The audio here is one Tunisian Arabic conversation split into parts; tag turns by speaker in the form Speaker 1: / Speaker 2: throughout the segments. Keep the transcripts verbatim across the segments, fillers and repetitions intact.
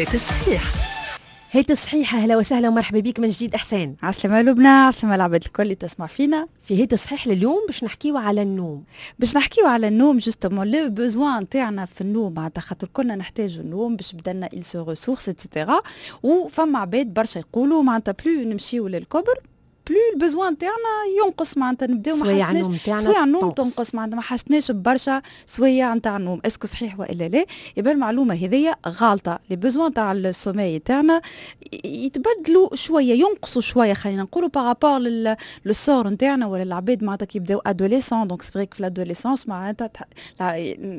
Speaker 1: هات الصحيح، هات الصحيح. اهلا وسهلا ومرحبا بك من جديد احسان.
Speaker 2: عسلامة لبنى، عسلامة العباد الكل اللي تسمع فينا.
Speaker 1: في هات الصحيح لليوم باش نحكيو على النوم.
Speaker 2: باش نحكيو على النوم، justement le besoin تاعنا في النوم، معناتها خاطر كلنا نحتاجوا النوم باش بدنا il se ressource et cetera. وفما عباد برشا يقولوا معناتها plus نمشيو للكبر plus ال besoin تاعنا ينقص، معناتها نبداو ما
Speaker 1: سوايع
Speaker 2: حاجتناش
Speaker 1: النوم تاعنا
Speaker 2: سوايع النوم
Speaker 1: تنقص.
Speaker 2: تنقص، معناتها ما حاجتناش برشا سوايع نتاع النوم. est-ce que صحيح والا لا؟ يبقى المعلومة هذيا غالطه. les besoins تاع ال sommeil تاعنا يتبدلوا شويه، ينقصوا شويه، خلينا نقولوا par rapport للصغر نتاعنا ولا العباد معناتها كي يبداو adolescents. donc c'est vrai في l'adolescence معناتها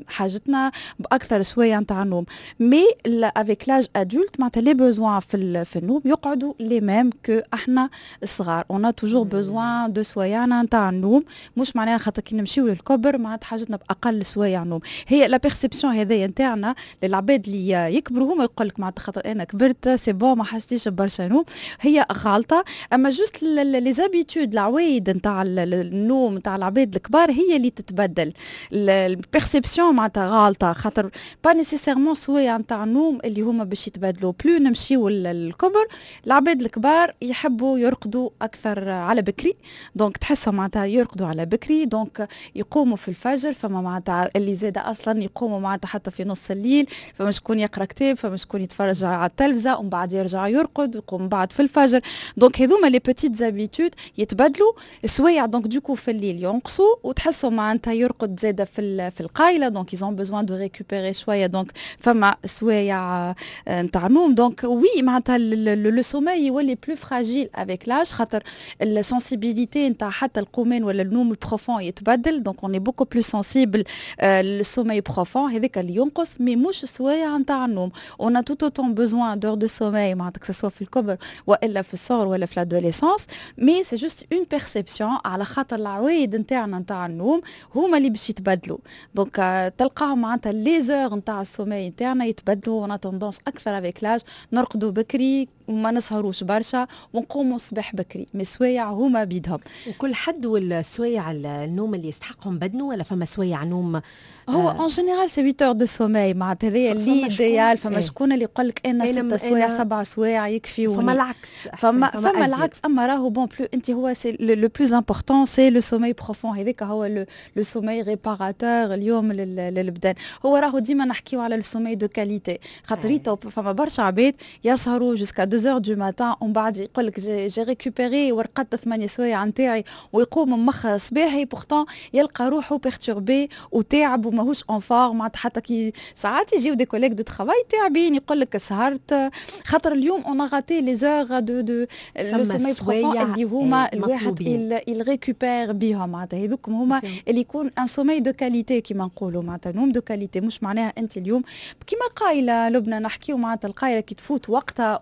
Speaker 2: حاجتنا باكثر شوية نتاع النوم، mais avec l'âge adulte معناتها les besoins في, في النوم يقعدوا les mêmes que احنا الصغار. on a toujours besoin de سوايعنا نتاع النوم، مش معناها خاطر كي نمشيو للكبر معناتها حاجتنا باقل سوايع نوم. هي la perception هذيا نتاعنا للعباد اللي يكبروا، هما يقول لك معناتها خاطر انا كبرت c'est bon ما حاجتيش برشا نوم، هي غالطه. اما juste les habitudes، العوايد نتاع النوم نتاع العباد الكبار هي اللي تتبدل. ال perception معناتها غالطه، خاطر pas nécessairement سوايع نتاع النوم اللي هما باش يتبدلوا plus نمشيو للكبر. العباد الكبار يحبوا يرقدوا اكثر على بكري، donc تحسهم معناتها يرقدوا على بكري، donc يقوموا في الفجر. فما معناتها اللي زاد اصلا يقوموا معناتها حتى في نص الليل، فما شكون يقرا كتاب، فما شكون يتفرج على التلفزه، ومن بعد يرجع يرقد، يقوم بعد في الفجر. donc هذوما les petites habitudes يتبدلوا السوايع، donc du coup في الليل ينقصوا، وتحسوا معناتها يرقد زاده في في القايله، donc ils ont besoin de récupérer شويه، donc فما سوايع نتاع نوم. donc oui، معناتها le sommeil يولي plus fragile avec l'âge، خاطر ال sensibilité نتاع حتى القومان ولا النوم ال profond يتبدل، donc on est beaucoup plus sensible لل sommeil profond، هذاك اللي ينقص، mais مش السوايع نتاع النوم. on a tout autant besoin d'heures de sommeil معناتها que ce soit في الكبر والا في الصغر ولا في l'adolescence، mais c'est juste une perception على خاطر العوايد نتاعنا نتاع النوم هما اللي باش يتبدلوا. donc تلقاهم معناتها les heures نتاع ال sommeil نتاعنا يتبدلوا، on a tendance اكثر avec l'âge نرقدوا بكري وما نسهروش برشا ونقوموا الصباح بكري، mais سوايع هما بيدهم.
Speaker 1: وكل حد والسوايع النوم اللي يستحقهم بدنه، ولا فما سوايع نوم؟
Speaker 2: هو en général c'est huit heures de sommeil، معناتها هذايا l'idéal. فما شكون اللي يقول لك انا ست سوايع، سبع سوايع يكفي.
Speaker 1: فما العكس.
Speaker 2: فما فما, فما العكس. اما راهو bon plus انت هو c'est le plus important c'est le sommeil profond، هذاك هو le sommeil réparateur اليوم للبدن. هو راهو ديما نحكيو على le sommeil de qualité، خاطر فما برشا عباد يسهروا jusqu'à deux heures du matin ومن بعد يقول لك j'ai récupéré ورقدت ثمانية سوايع نتاعي، ويقوم مخ صباحي pourtant يلقى روحه perturbé وتاعب وماهوش en forme. معناتها حتى كي ساعات يجيو des collègues de travail تعبين، يقول لك سهرت، خاطر اليوم on a raté les heures de de le sommeil profond اللي هما الواحد il récupère بيهم. معناتها هذوك هما اللي يكون un sommeil de qualité كيما نقولوا، معناتها نوم de qualité. مش معناها انت اليوم كيما قايله لبنى نحكيو، معناتها القايله كي تفوت وقتها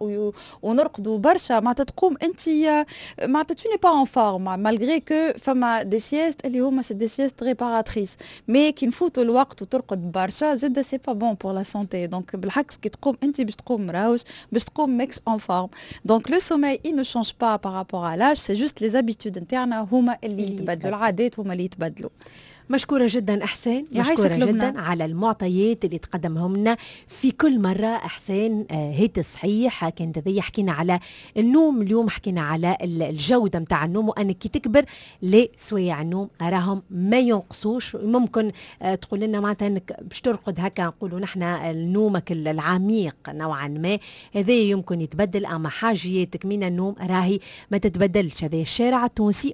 Speaker 2: ونرقدوا برشا، معناتها تقوم انت معناتها tu n'es pas en forme malgré que فما des siestes اللي هما c'est des siestes réparatrices، mais كي نفوتوا الوقت وترقد برشا زاد c'est pas bon pour la santé. donc بالعكس كي تقوم انت باش تقوم مراوش، باش تقوم ماكش en forme. donc le sommeil il ne change pas par rapport à l'âge، c'est juste les habitudes نتاعنا هما اللي يتبدلوا، العادات هما اللي يتبدلوا.
Speaker 1: مشكورة جدا إحسان، مشكورة جدا على المعطيات اللي تقدمهم لنا في كل مرة إحسان. آه، هيت صحيح كانت هذه، حكينا على النوم اليوم، حكينا على الجودة متاع النوم، وأنك كي تكبر لي سوايع النوم راهم ما ينقصوش. ممكن آه، تقول لنا معناتها انك باش ترقد هكا نقولوا نحن نومك العميق نوعا ما هذا يمكن يتبدل، اما حاجياتك من النوم راهي ما تتبدلش. هذا الشارع التونسي.